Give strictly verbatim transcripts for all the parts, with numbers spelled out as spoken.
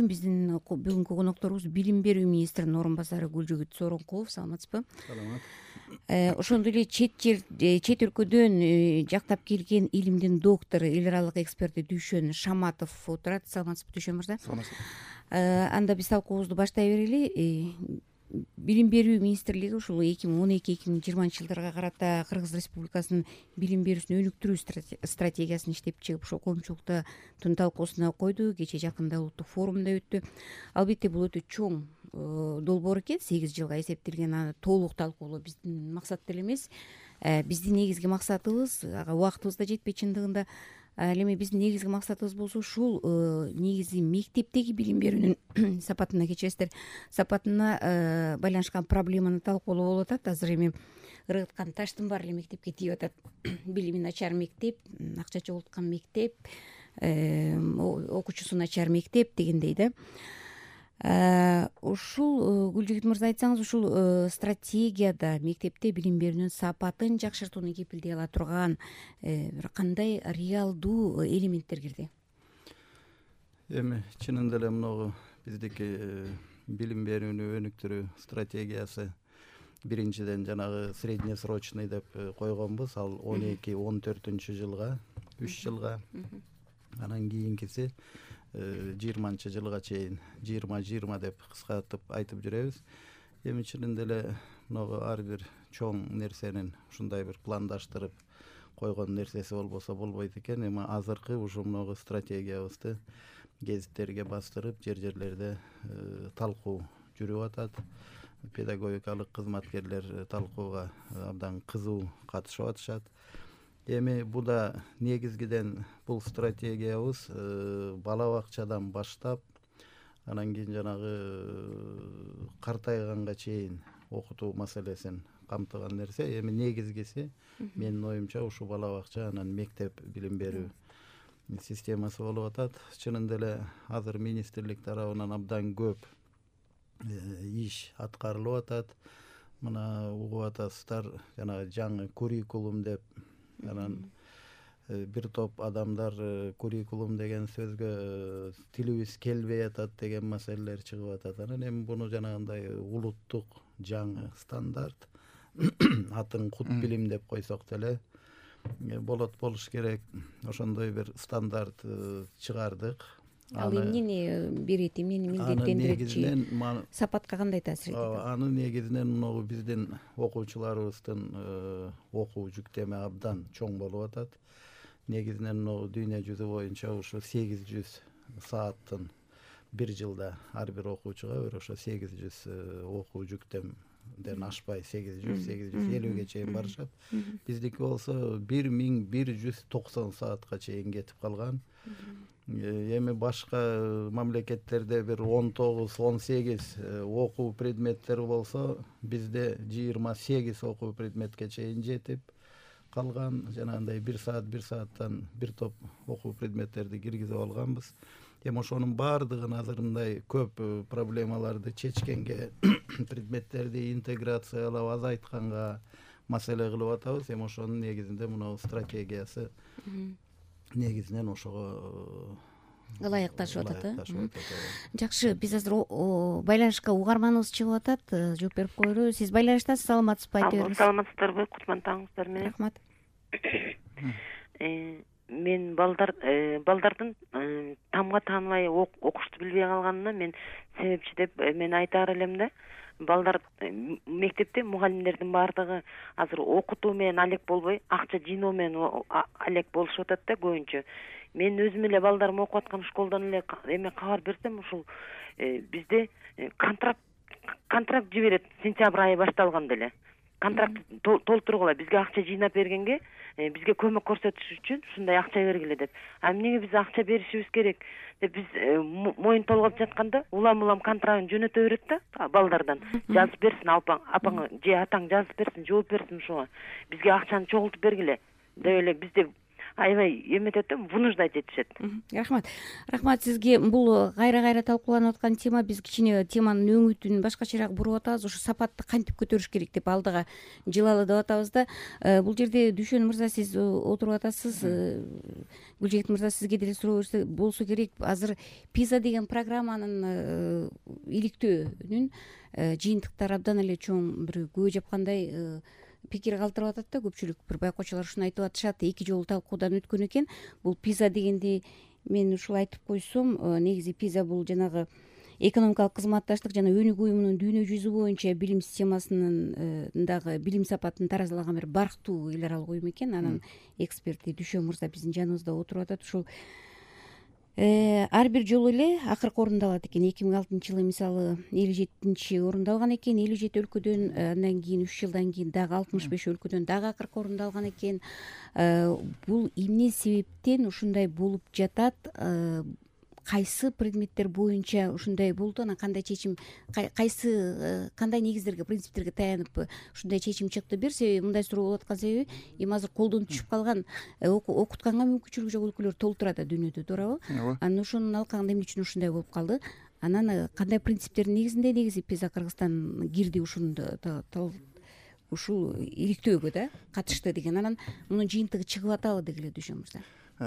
биздин бүгүнкү конокторубуз билим берүү министринин орун басары Гүлжүгүт Сооронкулов. Саламатсызбы? Саламат. Ошондой эле чет жер чет өлкөдөн жактап келген илимдин доктору, эл аралык эксперти Дүйшөн Шаматов отурат. Саламатсызбы, Дүйшөн мырза? Саламатсызбы. Анда биз талкуубузду баштай берели. Билим берүү министрлиги ушул эки миң он эки эки миң жыйырманчы жылдарга карата Кыргыз Республикасынын билим берүүсүн өнүктүрүү стратегиясын иштеп чыгып, ошол коомчулуктун талкуусуна койду. Кечээ жакында улуттук форумда өттү. Албетте бул өтө чоң долбоор экен, сегиз жылга эсептелген. Аны толук талкуулоо биздин максат деле эмес. Биздин негизги максатыбыз, ага убактыбыз да жетпей чындыгында. Ал эми биздин негизги максатыбыз болсо ушул негизи мектептеги билим берүүнүн сапатына, кечиресиздер, сапатына байланышкан проблеманы талкуулоо болуп атат. Азыр эми ыргыткан таштын баары эле мектепке тиеп атат. Билими начар мектеп, акча чогулткан мектеп, окуучусу начар мектеп дегендей да. Ушул Гүлжүгүт мырза, айтсаңыз, ушул стратегияда мектепте билим берүүнүн сапатын жакшыртууну кепилдей ала турган бир кандай реалдуу элементтер кирди? Эми чынында эле мынагу биздики билим берүүнү өнүктүрүү стратегиясы биринчиден жанагы среднесрочный деп койгонбуз. Ал он эки он төртүнчү жылга, үч жылга. Анан кийинкиси жыйырманчы жылга чейин жыйырма жыйырма деп кыскартып айтып жүрөбүз. Эми чынында эле мынагу ар бир чоң нерсенин ушундай бир пландаштырып койгон нерсеси болбосо болбойт экен. Эми азыркы ушу мынагу стратегиябызды гезиттерге бастырып, жер жерлерде талкуу жүрүп атат. Педагогикалык кызматкерлер талкууга абдан кызуу катышып атышат. Эми бул да негизгиден бул стратегиябыз бала бакчадан баштап, анан кийин жанагы картайганга чейин окутуу маселесин камтыган нерсе. Эми негизгиси менин оюмча ушу бала бакча анан мектеп билим берүү системасы болуп атат. Чынында эле азыр министрлик тарабынан абдан көп иш аткарылып атат. Мына угуп атасыздар, жанагы жаңы куррикулум деп. Анан бир топ адамдар куррикулум деген сөзгө тилибиз келбей атат деген маселелер чыгып атат. Анан эми буну жанагындай улуттук жаңы стандарт, атын кут билим деп койсок деле болот, болуш керек. Ошондой бир стандарт чыгардык. Ал эмнени берет, эмнени милдеттендирет, сапатка кандай таасир этет? Аны негизинен могу биздин окуучуларыбыздын окуу жүктөмө абдан чоң болуп атат. Негизинен могу дүйнө жүзү боюнча ушу сегиз жүз сааттын бир жылда ар бир окуучуга бир ошо сегиз жүз окуу жүктөмдөн ашпай сегиз жүз сегиз жүз элүүгө чейин барышат. Биздики болсо бир миң бир жүз токсон саатка чейин кетип калган. Эми башка мамлекеттерде бир он тогуз он сегиз окуу предметтери болсо, бизде жыйырма сегиз окуу предметке чейин жетип калган. Жанагындай бир саат бир сааттан бир топ окуу предметтерди киргизип алганбыз. Эми ошонун баардыгын азыр мындай көп проблемаларды чечкенге, предметтерди интеграциялап азайтканга маселе кылып атабыз. Эми ошонун негизинде мына стратегиясы негизинен ошого ылайыкташып атат. Жакшы, биз азыр байланышка угарманыбыз чыгып атат, жооп берип коелу. Сиз байланыштасыз, саламатсызбы, айта бериңиз. Саламатсыздарбы, кутман таңыңыздар менен. Рахмат. Мен балдар балдардын тамга тааныбай окушту билбей калганына мен себепчи деп мен айтаар элем да. Балдар мектепте мугалимдердин баардыгы азыр окутуу менен алек болбой, акча жыйноо менен алек болушуп атат да көбүнчө. Мен өзүм эле балдарым окуп аткан школдон эле эме кабар берсем, ушул бизде контракт контракт жиберет сентябрь айы башталганда эле. Контракт толтургула, бизге акча жыйнап бергенге, бизге көмөк көрсөтүш үчүн ушундай акча бергиле деп. А эмнеге биз акча беришибиз керек деп биз моюн толгоп жатканда улам-улам контрагын жөнөтө берет да балдардан. Жазып берсин апаң, апаң же атаң жазып берсин, жооп берсин ушуга. Бизге акчаны чогултуп бергиле деп эле бизде аябай эметет да, вынуждать этишет. Рахмат. Рахмат сизге. Бул кайра кайра талкууланып аткан тема. Биз кичине теманын өңүтүн башкачараак буруп атабыз. Ушу сапатты кантип көтөрүш керек деп алдыга жылалы деп атабыз да. Бул жерде Дүйшөн мырза сиз отуруп атасыз. Гүлжегит мырза сизге деле суроо болсо керек. Азыр пиза деген программанын иликтөөнүн жыйынтыктары абдан эле чоң бир күбө жапкандай пикир калтырып атат да. Көпчүлүк бир байкоочулар ушуну айтып атышат. Эки жолу талкуудан өткөн экен. Бул пиза дегенди мен ушул айтып койсом, негизи пиза бул жанагы экономикалык кызматташтык жана өнүгүү уюмунун дүйнө жүзү боюнча билим системасынын дагы билим сапатын таразалаган бир барктуу эл аралык уюм экен. Анын эксперти Дүйшөн мырза биздин жаныбызда отуруп атат. Ушул ар бир жолу эле акыркы орунду алат экен. эки миң алтынчы жылы мисалы элүү жетинчи орунду алган экен. элүү жети өлкөдөн, андан кийин үч жылдан кийин дагы алтымыш беш өлкөдөн дагы акыркы орунду алган экен. Бул эмне себептен ушундай болуп жатат? Кайсы предметтер боюнча ушундай болду? Анан кандай чечим, кайсы кандай негиздерге, принциптерге таянып ушундай чечим чыкты? Бир себеби, мындай суроо болуп аткан себеби, эми азыр колдон түшүп калган, окутканга мүмкүнчүлүгү жок өлкөлөр толуп турат да дүйнөдө, туурабы? Анан ошонун алкагында эмне үчүн ушундай болуп калды? Анан кандай принциптердин негизинде негизи пиза Кыргызстан кирди ушун ушул иликтөөгө да катышты деген. Анан мунун жыйынтыгы чыгып атабы дегиле, Дүйшөн мырза?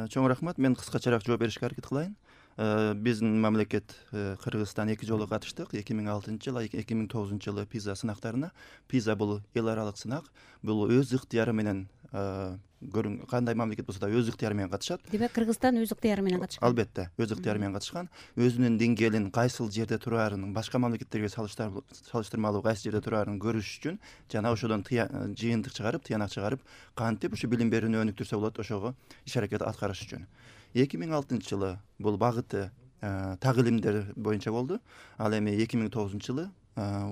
Чоң рахмат. Мен кыскачараак жооп беришке аракет кылайын. Биздин мамлекет Кыргызстан эки жолу катыштык. эки миң алтынчы жылы, эки миң тогузунчу жылы пиза сынактарына. Пиза бул эл аралык сынак. Бул өз ыктыяры менен көрүң, кандай мамлекет болсо да өз ыктыяры менен катышат. Демек Кыргызстан өз ыктыяры менен катышкан. Албетте, өз ыктыяры менен катышкан. Өзүнүн деңгээлин кайсыл жерде турарын, башка мамлекеттерге салыштырмалуу кайсы жерде турарын көрүш үчүн жана ошодон жыйынтык чыгарып, тыянак чыгарып, кантип ушу билим берүүнү өнүктүрсө болот, ошого иш аракет аткарыш үчүн. эки миң алтынчы жылы бул багыты так илимдер боюнча болду. Ал эми эки миң тогузунчу жылы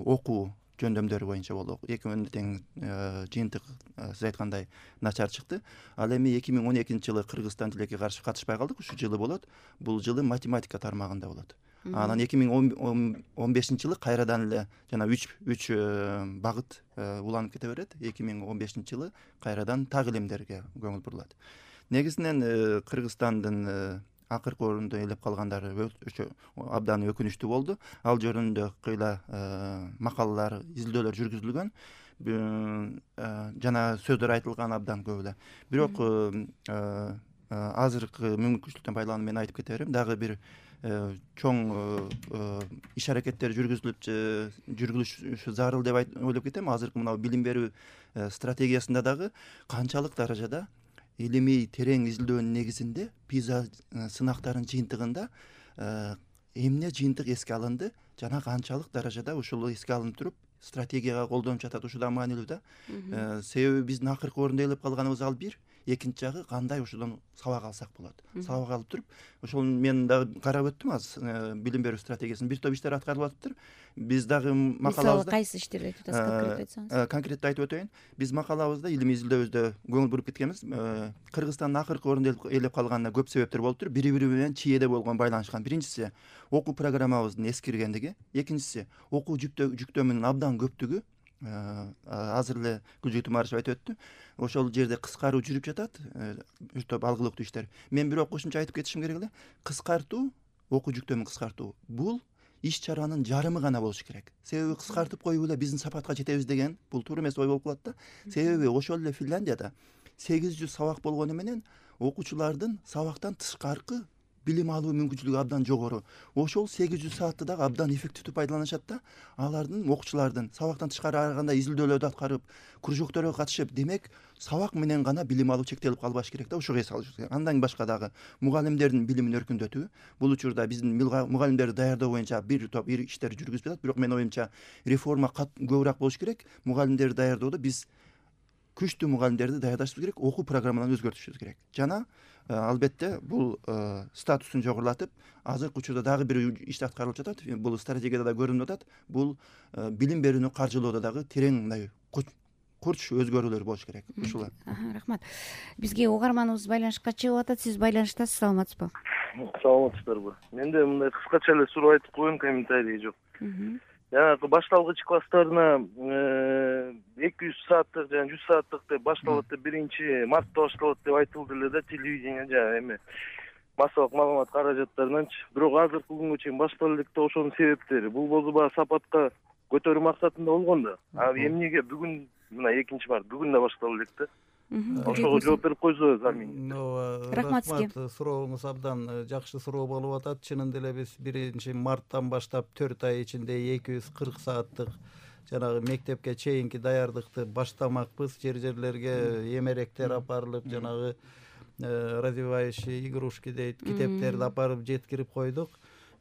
окуу жөндөмдөрү боюнча болду. Экөөнү тең жыйынтык сиз айткандай начар чыкты. Ал эми эки миң он экинчи жылы Кыргызстан тилекке каршы катышпай калдык. Ушул жылы болот. Бул жылы математика тармагында болот. Анан эки миң он бешинчи жылы кайрадан эле жана үч үч багыт уланып кете берет. эки миң он бешинчи жылы кайрадан так илимдерге көңүл бурулат. Негизинен Кыргызстандын акыркы орунду ээлеп калгандары абдан өкүнүчтүү болду. Ал жөнүндө кыйла макалалар, изилдөөлөр жүргүзүлгөн, жана сөздөр айтылган абдан көп эле. Бирок азыркы мүмкүнчүлүктөн байланып мен айтып кете берем. Дагы бир чоң иш аракеттер жүргүзүлүп жүргүзүлүшү зарыл деп ойлоп кетем. Азыркы мына билим берүү стратегиясында дагы канчалык даражада илимий терең изилдөөнүн негизинде пиза сынактарынын жыйынтыгында эмне жыйынтык эске алынды жана канчалык даражада ушул эске алынып туруп стратегияга колдонуп жатат, ушул да маанилүү да. Себеби биздин акыркы орунду ээлеп калганыбыз ал бир, экинчи жагы кандай ошодон сабак алсак болот. Сабак алып туруп, ошол мен дагы карап өттүм азыр билим берүү стратегиясын бир топ иштер аткарылып атыптыр. Биз дагы макалабызда кайсы иштерди айтып атасыз, конкрет айтсаңыз? Конкреттүү айтып өтөйүн. Биз макалабызда, илимий изилдөөбүздө көңүл буруп кеткенбиз. Кыргызстандын акыркы орунду ээлеп калганына көп себептер болуптур. Бири-бири менен чийеде болгон байланышкан. Биринчиси окуу программабыздын эскиргендиги, экинчиси окуу жүктөмүнүн абдан көптүгү. Азыр эле Гүлжегит Умарышева айтып өттү. Ошол жерде кыскаруу жүрүп жатат, бир топ алгылыктуу иштер. Мен бирок кошумча айтып кетишим керек эле. Кыскартуу, окуу жүктөмүн кыскартуу бул иш чаранын жарымы гана болуш керек. Себеби кыскартып коюп эле биздин сапатка жетебиз деген бул туура эмес ой болуп калат да. Себеби ошол эле Финляндияда сегиз жүз сабак болгону менен окуучулардын сабактан тышкаркы билим алуу мүмкүнчүлүгү абдан жогору. Ошол сегиз жүз саатты дагы абдан эффективдүү пайдаланышат да. Алардын окуучулардын сабактан тышкары ар кандай изилдөөлөрдү аткарып, кружокторго катышып, демек сабак менен гана билим алуу чектелип калбаш керек да, ошого эс алыш керек. Андан башка дагы мугалимдердин билимин өркүндөтүү. Бул учурда биздин мугалимдерди даярдоо боюнча бир топ иштер жүргүзүп жатат, бирок менин оюмча реформа көбүрөөк болуш керек. Мугалимдерди даярдоодо биз күчтүү мугалимдерди даярдашыбыз керек, окуу программаларын өзгөртүшүбүз керек. Жана албетте бул статусун жогорулатып, азыркы учурда дагы бир иш аткарылып жатат. Бул стратегияда да көрүнүп атат. Бул билим берүүнү каржылоодо дагы терең мындай курч өзгөрүүлөр болуш керек. Ушул. Рахмат. Бизге угарманыбыз байланышка чыгып атат. Сиз байланыштасыз, саламатсызбы? Саламатсыздарбы? Менде мындай кыскача эле суроо айтып коеюн, комментарий жок. жанагы башталгыч класстарына эки жүз сааттык жана жүз сааттык деп башталат деп биринчи мартта башталат деп айтылды эле да телевидение жана эме массалык маалымат каражаттарынанчы. Бирок азыркы күнгө чейин баштала элек да ошонун себептери бул болсо баягы сапатка көтөрүү максатында болгон да. А эмнеге бүгүн мына экинчи март бүгүн да баштала элек да. Ошого жооп берип койсо Замин. Рахмат сизге. Сурооңуз абдан жакшы суроо болуп атат. Чынында эле биз биринчи марттан баштап төрт ай ичинде эки жүз кырк сааттык жанагы мектепке чейинки даярдыкты баштамакпыз. Жер жерлерге эмеректер апарылып, жанагы развивающие игрушки дейт, китептерди апарып жеткирип койдук.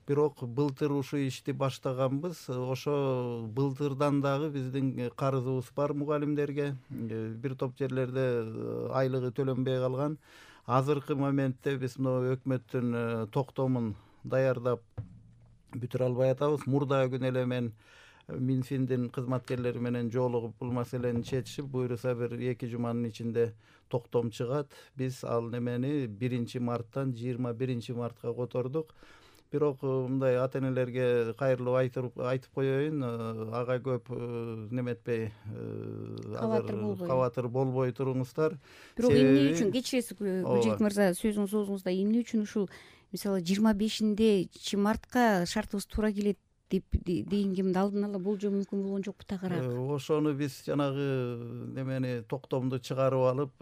Бирок былтыр ушул ишти баштаганбыз. Ошо былтырдан дагы биздин карызыбыз бар мугалимдерге. Бир топ жерлерде айлыгы төлөнбөй калган. Азыркы моментте биз мына өкмөттүн токтомун даярдап бүтүрө албай атабыз. Мурдагы күнү эле мен Минфиндин кызматкерлери менен жолугуп бул маселени чечишип, буюрса бир эки жуманын ичинде токтом чыгат. Биз ал немени биринчи марттан жыйырма биринчи мартка котордук. Бирок мындай ата энелерге кайрылып айтып айтып коеюн, ага көп неметпей, азыр кабатыр болбой туруңуздар. Бирок эмне үчүн кечиресиз Гүлжейит мырза, сөзүңүз оозуңузда эмне үчүн ушул мисалы жыйырма бешинчи мартка шартыбыз туура келет деп дегенгемди алдын ала болжоо мүмкүн болгон жокпу тагыраак? Ошону биз жанагы немени токтомду чыгарып алып,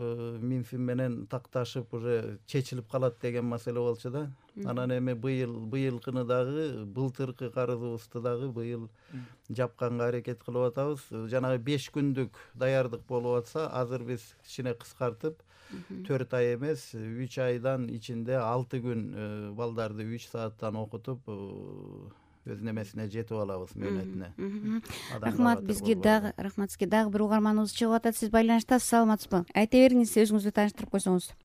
Минфин менен такташып уже чечилип калат деген маселе болчу да. Анан эми быйыл быйылкыны дагы, былтыркы карызыбызды дагы быйыл жапканга аракет кылып атабыз. Жанагы беш күндүк даярдык болуп атса, азыр биз кичине кыскартып, төрт ай эмес, үч айдан ичинде алты күн балдарды үч сааттан окутуп өз немесине жетип алабыз, мөөнөтүнө. Рахмат, бизге дагы рахмат сизге дагы бир угарманыбыз чыгып атат. Сиз байланыштасыз, саламатсызбы? Айта бериңиз, өзүңүздү тааныштырып койсоңуз.